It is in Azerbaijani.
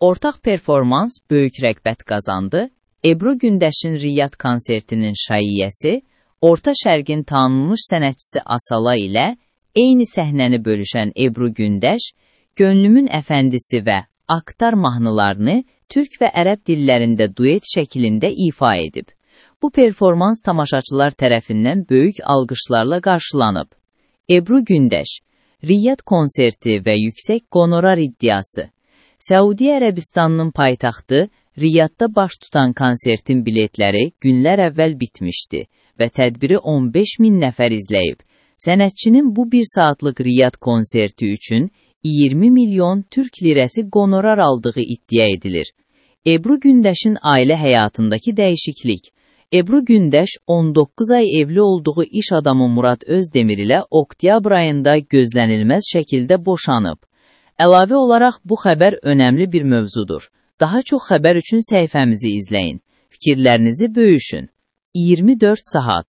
Ortaq performans böyük rəğbət qazandı. Ebru Gündeşin Riyad konsertinin şaiyyəsi, Orta Şərqin tanınmış sənətçisi Asala ilə eyni səhnəni bölüşən Ebru Gündeş, Gönlümün Əfəndisi və Aktar mahnılarını türk və ərəb dillərində duet şəklində ifa edib. Bu performans tamaşaçılar tərəfindən böyük alqışlarla qarşılanıb. Ebru Gündeş, Riyad konserti və yüksək qonorar iddiası. Səudiyyə Ərəbistanının paytaxtı Riyadda baş tutan konsertin biletləri günlər əvvəl bitmişdi və tədbiri 15.000 nəfər izləyib. Sənətçinin bu 1 saatlıq Riyad konserti üçün 20 milyon türk lirəsi qonorar aldığı iddia edilir. Ebru Gündeşin ailə həyatındakı dəyişiklik. Ebru Gündeş 19 ay evli olduğu iş adamı Murad Özdemir ilə oktyabr ayında gözlənilməz şəkildə boşanıb. Əlavə olaraq bu xəbər önəmli bir mövzudur. Daha çox xəbər üçün səhifəmizi izləyin. Fikirlərinizi bölüşün. 24 saat.